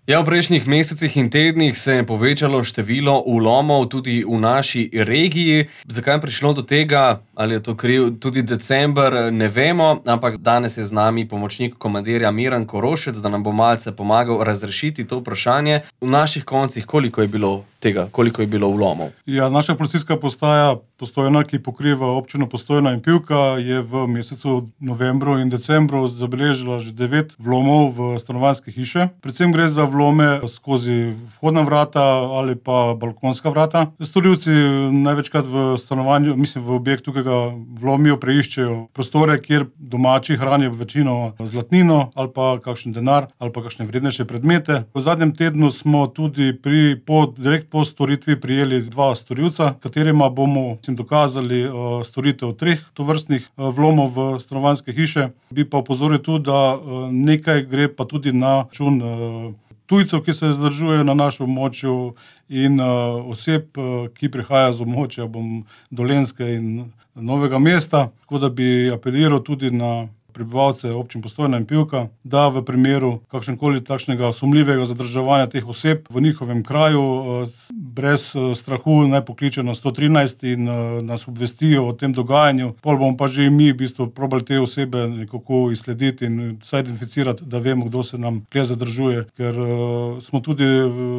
Ja, v prejšnjih mesecih in tednih se je povečalo število vlomov tudi v naši regiji. Zakaj je prišlo do tega, ali je to kriv tudi december, ne vemo, ampak danes je z nami pomočnik komandirja Miran Korošec, da nam bo malce pomagal razrešiti to vprašanje. V naših koncih, koliko je bilo tega, koliko je bilo vlomov? Ja, naša policijska postaja Postojna, ki pokriva občino Postojna in Pivka, je v mesecu novembru in decembru zabeležila že 9 vlomov v stanovanjske hiše. Predvsem gre za vlome skozi vhodna vrata ali pa balkonska vrata. Storilci največkrat v stanovanju, v objektu, ki ga vlomijo, preiščejo prostore, kjer domači hranijo večino zlatnino ali pa kakšen denar ali pa kakšne vrednejše predmete. V zadnjem tednu smo tudi direkt po storitvi prijeli 2 storilca, katerima bomo dokazali storitev 3 tovrstnih vlomov v stanovanjske hiše. Bi pa opozoril tudi, da nekaj gre pa tudi na račun tujcev, ki se zadržujejo na našem območju, in oseb, ki prihajajo z območja Dolenjske in Novega mesta. Tako da bi apeliral tudi na prebivalce občin Postojna in Pivka, da v primeru kakšenkoli takšnega sumljivega zadrževanja teh oseb v njihovem kraju brez strahu naj pokličejo na 113 in nas obvestijo o tem dogajanju. Pol bomo pa že mi probali te osebe nekako izslediti in vsaj identificirati, da vemo, kdo se nam kje zadržuje. Ker smo tudi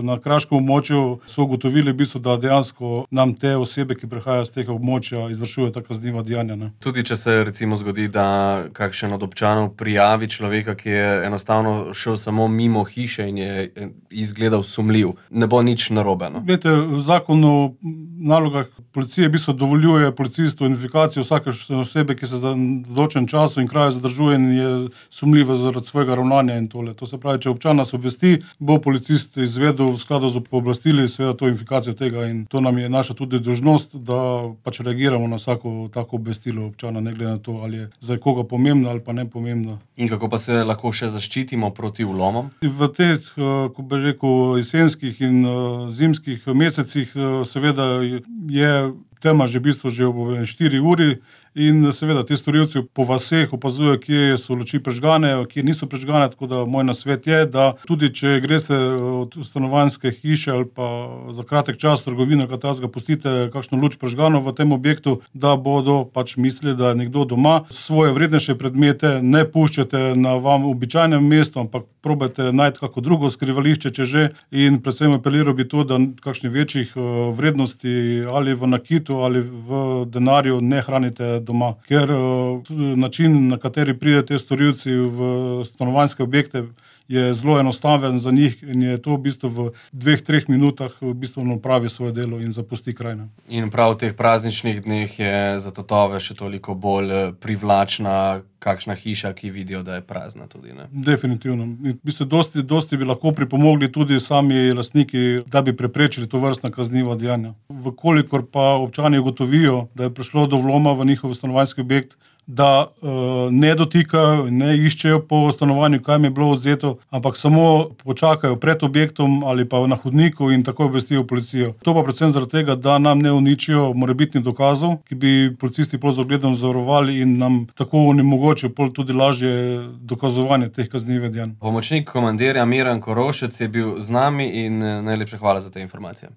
na kraškem območju ugotovili, da dejansko nam te osebe, ki prihajajo z tega območja, izvršujejo ta kazniva dejanja. Tudi če se recimo zgodi, da kakšen od občanov prijavi človeka, ki je enostavno šel samo mimo hiše in je izgledal sumljiv, ne bo nič narobe. Glejte, Zakon o nalogah policije dovoljuje policistu identifikacijo vsake osebe, ki se za določen čas in kraj zadržuje in je sumljiva zaradi svojega ravnanja in tole. To se pravi, če občan nas obvesti, bo policist izvedel v skladu z pooblastili seveda to identifikacijo tega, in to nam je naša tudi dolžnost, da pač reagiramo na vsako tako obvestilo občana, ne glede na to, ali je za koga pomembno ali pa nepomembno. In kako pa se lahko še zaščitimo proti vlomom? V teh, ko bi rekel, jesenskih in zimskih mesecih seveda je tema že ob 4 uri in seveda ti storilci po vaseh opazujejo, kje so luči prežgane, kje niso prežgane, tako da moj nasvet je, da tudi če greste od stanovanjske hiše ali pa za kratek čas v trgovino, katazga pustite kakšno luč prežgano v tem objektu, da bodo pač mislili, da je nekdo doma. Svoje vrednejše predmete ne puščate na vam običajnem mestu, ampak probajte najti kako drugo skrivališče, če že, in predvsem apeliral bi to, da kakšnih večjih vrednosti ali v nakitu ali v denarju ne hranite doma. Ker način, na kateri pridete storilci v stanovanjske objekte, je zelo enostaven za njih in je to v 2-3 minutah opravi svoje delo in zapusti kraj. In prav v teh prazničnih dneh je za tatove še toliko bolj privlačna kakšna hiša, ki vidijo, da je prazna tudi, ne? Definitivno. Dosti bi lahko pripomogli tudi sami lastniki, da bi preprečili tovrstna kazniva dejanja. Vkolikor pa občani ugotovijo, da je prišlo do vloma v njihov stanovanjski objekt, da ne dotikajo in ne iščejo po stanovanju, kaj jim je bilo odvzeto, ampak samo počakajo pred objektom ali pa na hodniku in takoj obvestijo policijo. To pa predvsem zaradi tega, da nam ne uničijo morebitnih dokazov, ki bi policisti z ogledom zavarovali in nam tako onemogočijo tudi lažje dokazovanje teh kaznivih dejanj. Pomočnik komandirja Miran Korošec je bil z nami in najlepša hvala za te informacije.